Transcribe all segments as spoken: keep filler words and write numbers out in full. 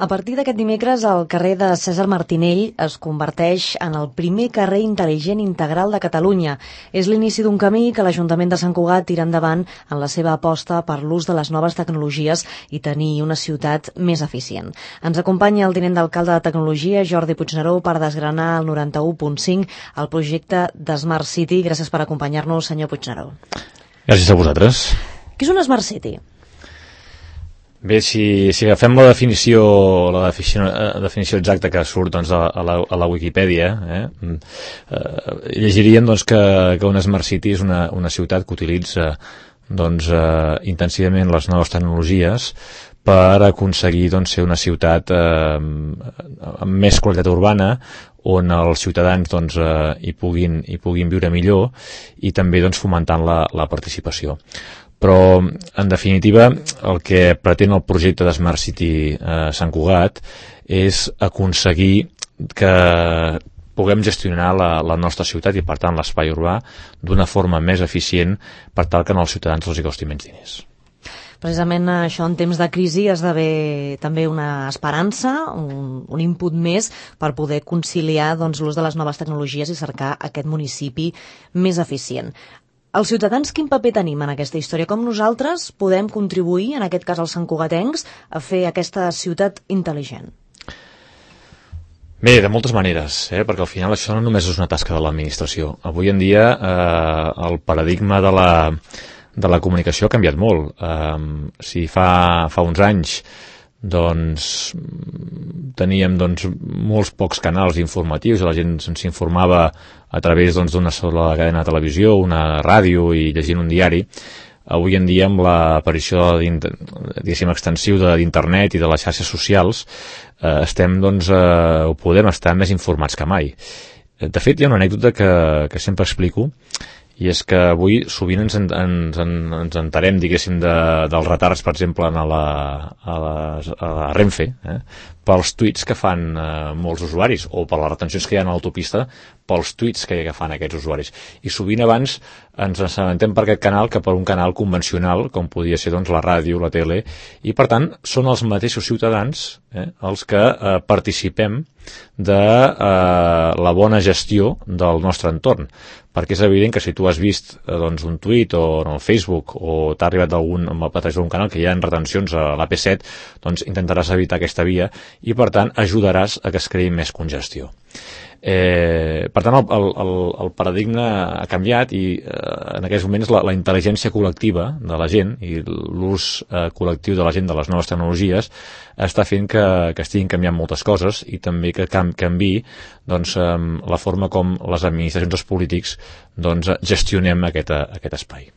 A partir d'aquest dimecres, el carrer de Cèsar Martinell es converteix en el primer carrer intel·ligent integral de Catalunya. És l'inici d'un camí que l'Ajuntament de Sant Cugat tira endavant en la seva aposta per l'ús de les noves tecnologies i tenir una ciutat més eficient. Ens acompanya el tinent d'alcalde de Tecnologia, Jordi Puigneró, per desgranar el noranta-u punt cinc, el projecte de Smart City. Gràcies per acompanyar-nos, senyor Puigneró. Gràcies a vosaltres. Què és una Smart City? Bé, si, si agafem la definició, la definició, la definició exacta que surt doncs, a, a, la, a la Wikipedia, eh, eh, llegiríem doncs, que, que una Smart City és una, una ciutat que utilitza doncs, eh, intensivament les noves tecnologies per aconseguir doncs, ser una ciutat eh, amb més qualitat urbana, on els ciutadans doncs, eh, hi, puguin, hi puguin viure millor i també doncs, fomentant la, la participació. Però, en definitiva, el que pretén el projecte de Smart City eh, Sant Cugat és aconseguir que puguem gestionar la, la nostra ciutat i, per tant, l'espai urbà d'una forma més eficient per tal que als ciutadans els hi costi menys diners. Precisament això en temps de crisi esdevé també una esperança, un, un input més per poder conciliar doncs, l'ús de les noves tecnologies i cercar aquest municipi més eficient. Els ciutadans, quin paper tenim en aquesta història? Com nosaltres podem contribuir, en aquest cas els santcugatencs, a fer aquesta ciutat intel·ligent? Bé, de moltes maneres, eh? Perquè al final això no només és una tasca de l'administració. Avui en dia eh, el paradigma de la, de la comunicació ha canviat molt. Eh, si fa, fa uns anys doncs teníem doncs, molts pocs canals informatius i la gent s'informava a través doncs, d'una sola cadena de televisió, una ràdio i llegint un diari. Avui en dia, amb l'aparició diguéssim extensiu d'internet i de les xarxes socials, eh, estem, doncs, eh, ho podem estar més informats que mai. De fet, hi ha una anècdota que, que sempre explico, i és que avui sovint ens, ens, ens entarem, diguéssim, de, dels retards, per exemple, a la, a la, a la Renfe, eh, pels tuits que fan eh, molts usuaris, o per les retencions que hi ha a l'autopista, pels tuits que, que fan aquests usuaris. I sovint abans ens assabentem per aquest canal que per un canal convencional, com podia ser doncs, la ràdio, la tele, i per tant són els mateixos ciutadans eh, els que eh, participem de eh, la bona gestió del nostre entorn. Perquè és evident que si tu has vist eh, doncs, un tuit o en el Facebook o t'ha arribat algun, a través d'un canal que hi ha retencions a l'A P set, doncs intentaràs evitar aquesta via i per tant ajudaràs a que es creï més congestió. Eh, per tant, el, el, el paradigma ha canviat i eh, en aquests moments la, la intel·ligència col·lectiva de la gent i l'ús eh, col·lectiu de la gent de les noves tecnologies està fent que, que estiguin canviant moltes coses i també que can, canvi doncs, eh, la forma com les administracions i els polítics doncs, gestionem aquest, aquest espai.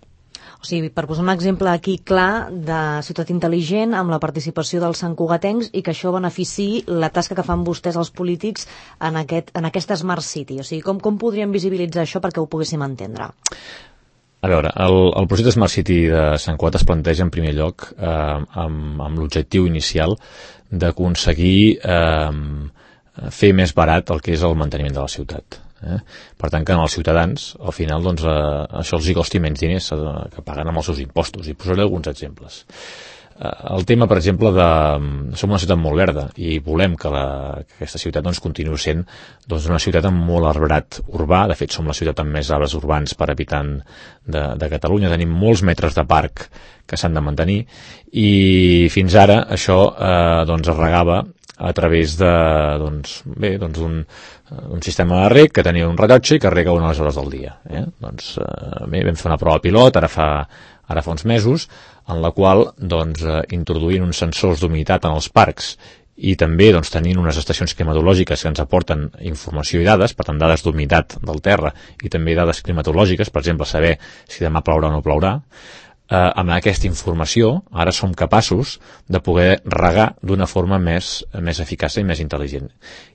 O sigui, per posar un exemple aquí clar de ciutat intel·ligent amb la participació dels santcugatencs i que això beneficiï la tasca que fan vostès els polítics en, aquest, en aquesta Smart City. O sigui, com, com podríem visibilitzar això perquè ho poguéssim entendre? A veure, el, el projecte Smart City de Sant Cugat es planteja en primer lloc eh, amb, amb l'objectiu inicial d'aconseguir eh, fer més barat el que és el manteniment de la ciutat. Eh? Per tant, que als ciutadans, al final, doncs, eh, això els hi costi menys diners eh, que paguen amb els seus impostos. I posaré alguns exemples. Eh, el tema, per exemple, de... Som una ciutat molt verda i volem que, la, que aquesta ciutat doncs, continuï sent doncs, una ciutat amb molt arbrat urbà. De fet, som la ciutat amb més arbres urbans per habitant de, de Catalunya. Tenim molts metres de parc que s'han de mantenir i fins ara això eh, doncs, es regava a través de, doncs, bé, doncs un, un sistema de reg que tenia un rellotge i que rega unes hores del dia. Eh? Doncs, eh, bé, vam fer una prova pilot ara fa, ara fa uns mesos, en la qual doncs, eh, introduint uns sensors d'humitat en els parcs i també doncs, tenint unes estacions climatològiques que ens aporten informació i dades, per tant dades d'humitat del terra i també dades climatològiques, per exemple saber si demà plourà o no plourà, Eh, amb aquesta informació ara som capaços de poder regar d'una forma més, més eficaç i més intel·ligent.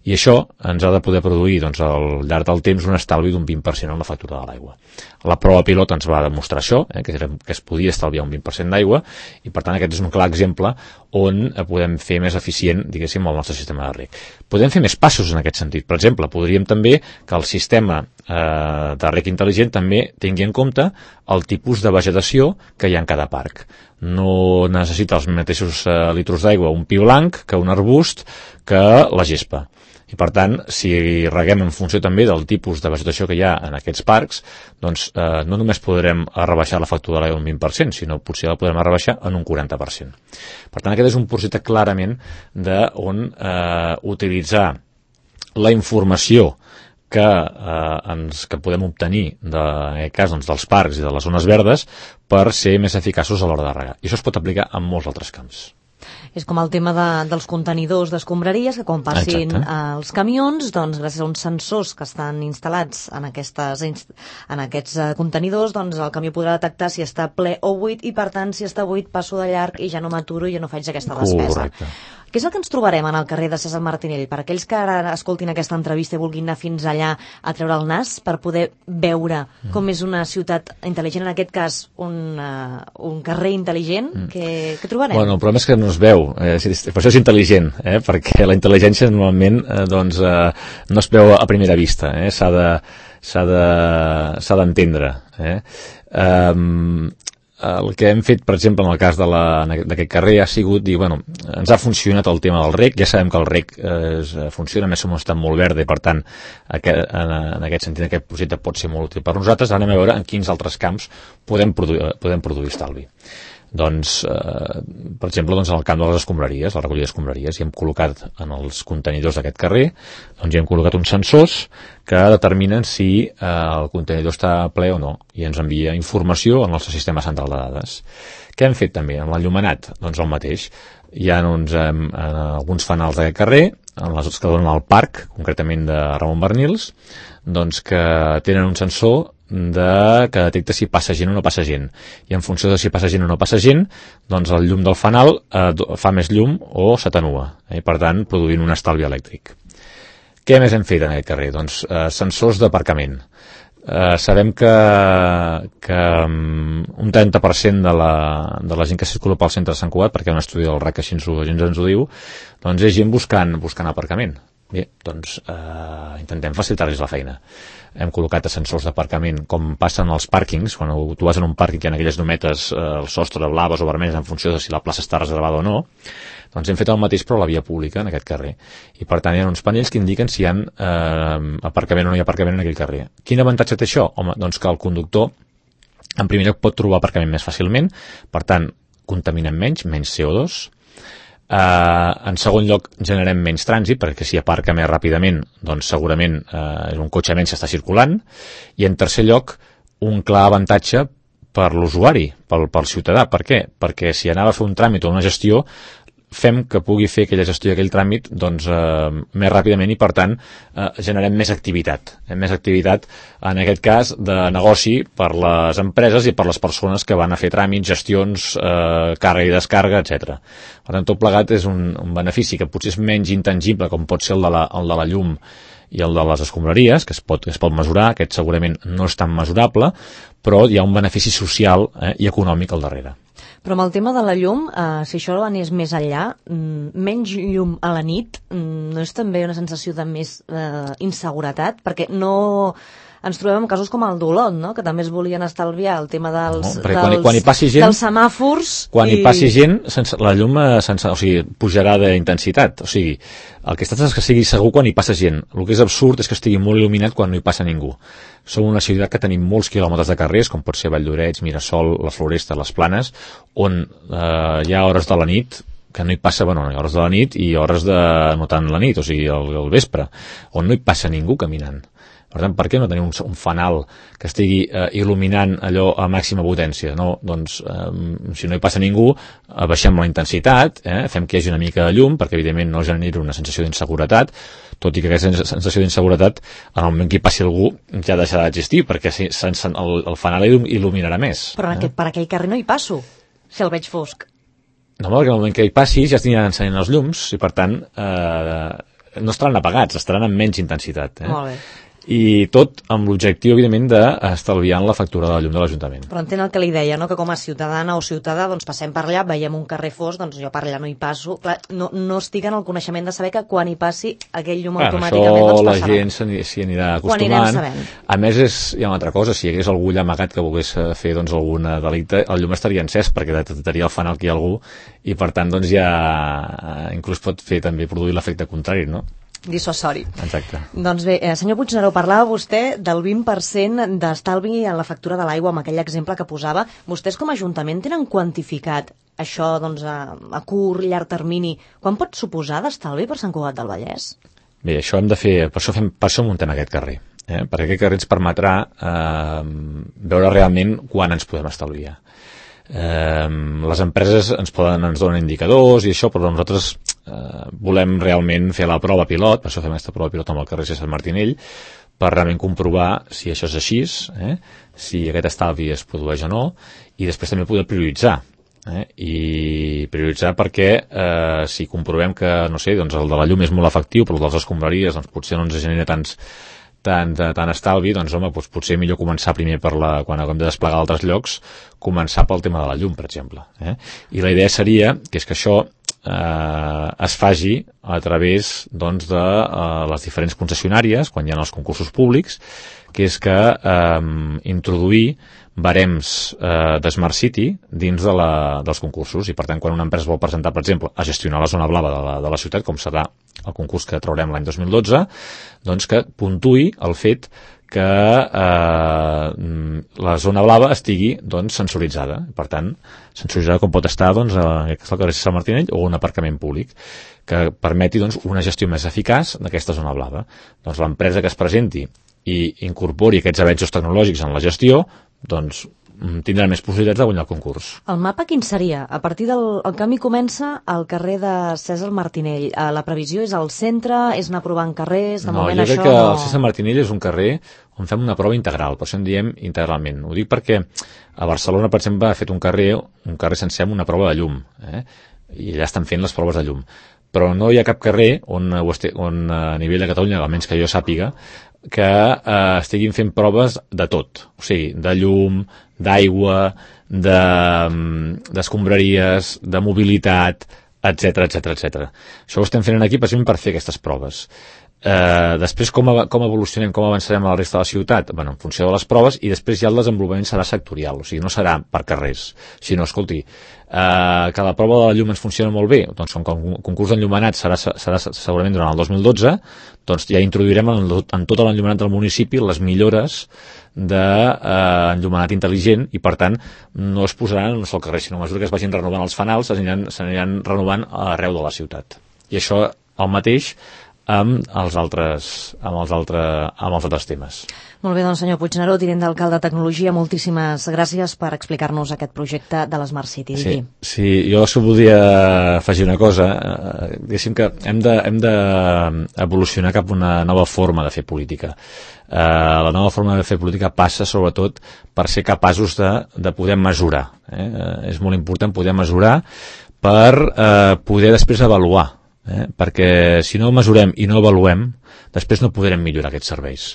I això ens ha de poder produir doncs, al llarg del temps un estalvi d'un vint per cent en la factura de l'aigua. La prova pilot ens va demostrar això, eh, que, era, que es podia estalviar un vint per cent d'aigua i per tant aquest és un clar exemple on podem fer més eficient, diguéssim, el nostre sistema de reg. Podem fer més passos en aquest sentit. Per exemple, podríem també que el sistema eh, de rec intel·ligent també tingui en compte el tipus de vegetació que hi ha en cada parc. No necessita els mateixos eh, litros d'aigua un pi blanc que un arbust que la gespa. I per tant, si reguem en funció també del tipus de vegetació que hi ha en aquests parcs, doncs eh, no només podrem rebaixar la factura de l'aigua un vint per cent, sinó potser la podrem rebaixar en un quaranta per cent. Per tant, aquest és un projecte clarament d'on eh, utilitzar la informació que, eh, ens, que podem obtenir de, en aquest cas doncs, dels parcs i de les zones verdes per ser més eficaços a l'hora de regar. I això es pot aplicar en molts altres camps. És com el tema de, dels contenidors d'escombraries, que quan passin eh, els camions, doncs gràcies a uns sensors que estan instal·lats en, aquestes, en aquests eh, contenidors, doncs el camió podrà detectar si està ple o buit i per tant si està buit passo de llarg i ja no m'aturo i ja no faig aquesta despesa. Correcte. Què és el que ens trobarem en el carrer de Cèsar Martinell? Per aquells que ara escoltin aquesta entrevista i vulguin anar fins allà a treure el nas per poder veure mm. com és una ciutat intel·ligent, en aquest cas un, uh, un carrer intel·ligent, mm. què, què trobarem? Bueno, el problema és que no es veu, eh, per això és intel·ligent, eh, perquè la intel·ligència normalment eh, doncs, eh, no es veu a primera vista, eh, s'ha de, s'ha de, s'ha d'entendre. Eh. Um, El que hem fet, per exemple, en el cas de la, d'aquest carrer ha sigut dir, bueno, ens ha funcionat el tema del rec, ja sabem que el rec eh, funciona, més som un estat molt verd i per tant aquest, en, en aquest sentit aquest projecte pot ser molt útil per nosaltres. Ara anem a veure en quins altres camps podem produir, podem produir estalvi. Doncs, eh, per exemple, doncs, en el camp de les escombraries, la recollida d'escombraries, hi hem col·locat en els contenidors d'aquest carrer, doncs hi hem col·locat uns sensors que determinen si eh, el contenidor està ple o no, i ens envia informació al nostre sistema central de dades. Què hem fet també? En l'enllumenat, doncs el mateix. Hi ha uns, eh, alguns fanals d'aquest carrer, en les que donen al parc, concretament de Ramon Barnils, doncs que tenen un sensor de, que detecta si passa gent o no passa gent. I en funció de si passa gent o no passa gent, doncs el llum del fanal eh, fa més llum o s'atenua, eh, i per tant produint un estalvi elèctric. Què més hem fet en aquest carrer? Doncs eh, sensors d'aparcament. Eh, sabem que, que um, un trenta per cent de la, de la gent que circula pel centre de Sant Cugat, perquè hi ha un estudi del R A C que així ens ho, ens ho diu, doncs és gent buscant, buscant aparcament. Bé, doncs eh, intentem facilitar-los la feina. Hem col·locat sensors d'aparcament com passen als pàrquings, quan tu vas en un pàrquing que hi ha aquelles llumetes eh, al sostre blaves o vermelles en funció de si la plaça està reservada o no, doncs hem fet el mateix però a la via pública en aquest carrer. I per tant hi ha uns panells que indiquen si hi ha eh, aparcament o no hi ha aparcament en aquell carrer. Quin avantatge té això? Home, doncs que el conductor en primer lloc pot trobar aparcament més fàcilment, per tant contaminem menys, menys C O dos. Uh, en segon lloc generem menys trànsit perquè si aparca més ràpidament doncs segurament uh, un cotxe menys està circulant, i en tercer lloc un clar avantatge per l'usuari, pel, pel ciutadà. Per què? Perquè si anava a fer un tràmit o una gestió fem que pugui fer aquella gestió i aquell tràmit doncs, eh, més ràpidament i per tant eh, generem més activitat eh, més activitat en aquest cas de negoci per les empreses i per les persones que van a fer tràmits, gestions, eh, càrrega i descàrrega, etcètera. Per tant, tot plegat és un, un benefici que potser és menys intangible com pot ser el de la, el de la llum i el de les escombraries, que es pot, es pot mesurar, aquest segurament no és tan mesurable, però hi ha un benefici social eh, i econòmic al darrere. Però amb el tema de la llum, eh, si això anés més enllà, menys llum a la nit, no és també una sensació de més eh, inseguretat? Perquè no... ens trobem amb casos com el d'Olot, no? Que també es volien estalviar el tema dels, no, dels, quan, quan hi passi gent, dels semàfors. Quan i... hi passi gent, sense, la llum sense, o sigui, pujarà d'intensitat. O sigui, el que està és que sigui segur quan hi passa gent. El que és absurd és que estigui molt il·luminat quan no hi passa ningú. Som una ciutat que tenim molts quilòmetres de carrers, com pot ser Valldoreix, Mirasol, la Floresta, les Planes, on eh, hi ha hores de la nit que no hi passa, bueno, hi ha hores de la nit i hores de no tant la nit, o sigui, el, el vespre, on no hi passa ningú caminant. Per tant, per què no tenim un, un fanal que estigui eh, il·luminant allò a màxima potència? No, doncs, eh, si no hi passa ningú, eh, baixem la intensitat, eh, fem que hi hagi una mica de llum, perquè evidentment no genera una sensació d'inseguretat, tot i que aquesta sensació d'inseguretat, en el moment que hi passi algú, ja deixarà d'existir, perquè si, sense, el, el fanal il·luminarà més. Però eh? aquest, per aquell carrer no hi passo, si el veig fosc. No, perquè en el moment que hi passi ja es aniran encenent els llums, i per tant, eh, no estaran apagats, estaran amb menys intensitat. Eh? Molt bé. i tot amb l'objectiu, evidentment, d'estalviar la factura de la llum de l'Ajuntament. Però entenc el que li deia, no? Que com a ciutadana o ciutadà doncs passem per allà, veiem un carrer fosc, doncs jo per allà no hi passo. Clar, no, no estic en el coneixement de saber que quan hi passi aquell llum Clar, automàticament doncs passarà. Això la gent s'hi anirà acostumant. A més, és, hi ha una altra cosa, si hi hagués algú allà amagat que volgués fer doncs, algun delicte, el llum estaria encès perquè detectaria el fanal que hi ha algú i per tant doncs, ja inclús pot fer també produir l'efecte contrari, no? Dissuasori. Exacte. Doncs bé, eh, senyor Puigneró, parlava vostè del vint per cent d'estalvi en la factura de l'aigua amb aquell exemple que posava. Vostès com a Ajuntament tenen quantificat això doncs, a, a curt, llarg termini? Quan pot suposar d'estalvi per Sant Cugat del Vallès? Bé, això hem de fer, per això, fem, per això muntem aquest carrer, eh? Perquè aquest carrer ens permetrà eh, veure realment quan ens podem estalviar. Eh, les empreses ens poden ens donen indicadors i això, però nosaltres eh, volem realment fer la prova pilot, per això fem aquesta prova pilot amb el carrer Cèsar Martinell, per realment comprovar si això és així, eh, si aquest estalvi es produeix o no, i després també poder prioritzar. Eh? I prioritzar perquè eh, si comprovem que, no sé, doncs el de la llum és molt efectiu, però el de les escombraries doncs, potser no ens genera tants tant, tant estalvi, doncs home, doncs potser millor començar primer per la, quan haguem de desplegar a altres llocs, començar pel tema de la llum, per exemple. Eh? I la idea seria que és que això eh, es faci a través doncs, de eh, les diferents concessionàries, quan hi ha els concursos públics, que és que eh, introduir barems eh, de Smart City dins de la, dels concursos i per tant quan una empresa vol presentar, per exemple, a gestionar la zona blava de la, de la ciutat, com serà el concurs que traurem l'any dos mil dotze, doncs que puntui el fet que eh, la zona blava estigui doncs, sensoritzada. Per tant, sensoritzada com pot estar doncs, a el carrer Sant Martinell o un aparcament públic que permeti doncs, una gestió més eficaç d'aquesta zona blava. Doncs l'empresa que es presenti i incorpori aquests avenços tecnològics en la gestió doncs tindrà més possibilitats de guanyar el concurs. El mapa quin seria? A partir del el camí comença al carrer de Cèsar Martinell. La previsió és al centre, és anar provant carrers, de no, moment això... No, jo crec això... que el Cèsar Martinell és un carrer on fem una prova integral, per això en diem integralment. Ho dic perquè a Barcelona, per exemple, ha fet un carrer, un carrer sencer amb una prova de llum, eh? I allà estan fent les proves de llum. Però no hi ha cap carrer on, on a nivell de Catalunya, almenys que jo sàpiga, que eh, estiguin fent proves de tot, o sigui, de llum, d'aigua, d'escombraries, de, de mobilitat, etcètera, etcètera, etcètera. Això ho estem fent aquí precisament per fer aquestes proves. Eh, després com, com evolucionem, com avançarem a la resta de la ciutat? Bueno, en funció de les proves, i després ja el desenvolupament serà sectorial, o sigui, no serà per carrers, sinó, escolti, eh, que la prova de la llum ens funciona molt bé, doncs com que el concurs d'enllumenat serà, serà segurament durant el dos mil dotze, doncs ja introduirem en, en tot l'enllumenat del municipi les millores d'enllumenat eh, intel·ligent, i per tant no es posaran en un sol carrer, sinó a mesura que es vagin renovant els fanals s'aniran, s'aniran renovant arreu de la ciutat. I això el mateix amb els altres, amb els altres, amb els altres temes. Molt bé, doncs senyor Puigneró, tinent d'alcalde de Tecnologia, moltíssimes gràcies per explicar-nos aquest projecte de l'Smart City. Sí, sí, jo s'ho volia afegir una cosa, eh, diguéssim que hem de, hem de evolucionar cap a una nova forma de fer política. Eh, la nova forma de fer política passa sobretot per ser capaços de, de poder mesurar. Eh? Eh, és molt important poder mesurar per eh, poder després avaluar. Eh? Perquè si no mesurem i no avaluem, després no podrem millorar aquests serveis.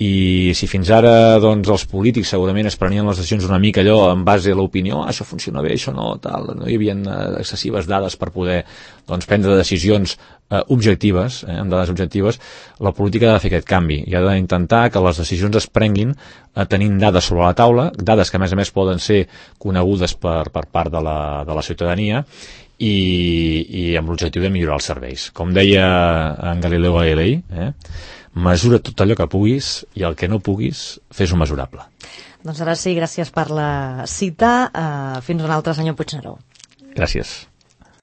I si fins ara doncs, els polítics segurament es prenien les decisions una mica allò en base a l'opinió, ah, això funciona bé, això no, tal, no hi havia eh, excessives dades per poder doncs, prendre decisions eh, objectives, eh, amb dades objectives, la política ha de fer aquest canvi i ha d'intentar que les decisions es prenguin eh, tenint dades sobre la taula, dades que a més a més poden ser conegudes per, per part de la, de la ciutadania, i, i amb l'objectiu de millorar els serveis. Com deia en Galileo Galilei, eh, mesura tot allò que puguis i el que no puguis, fes-ho mesurable. Doncs ara sí, gràcies per la cita. Uh, fins una altra, senyor Puigneró. Gràcies.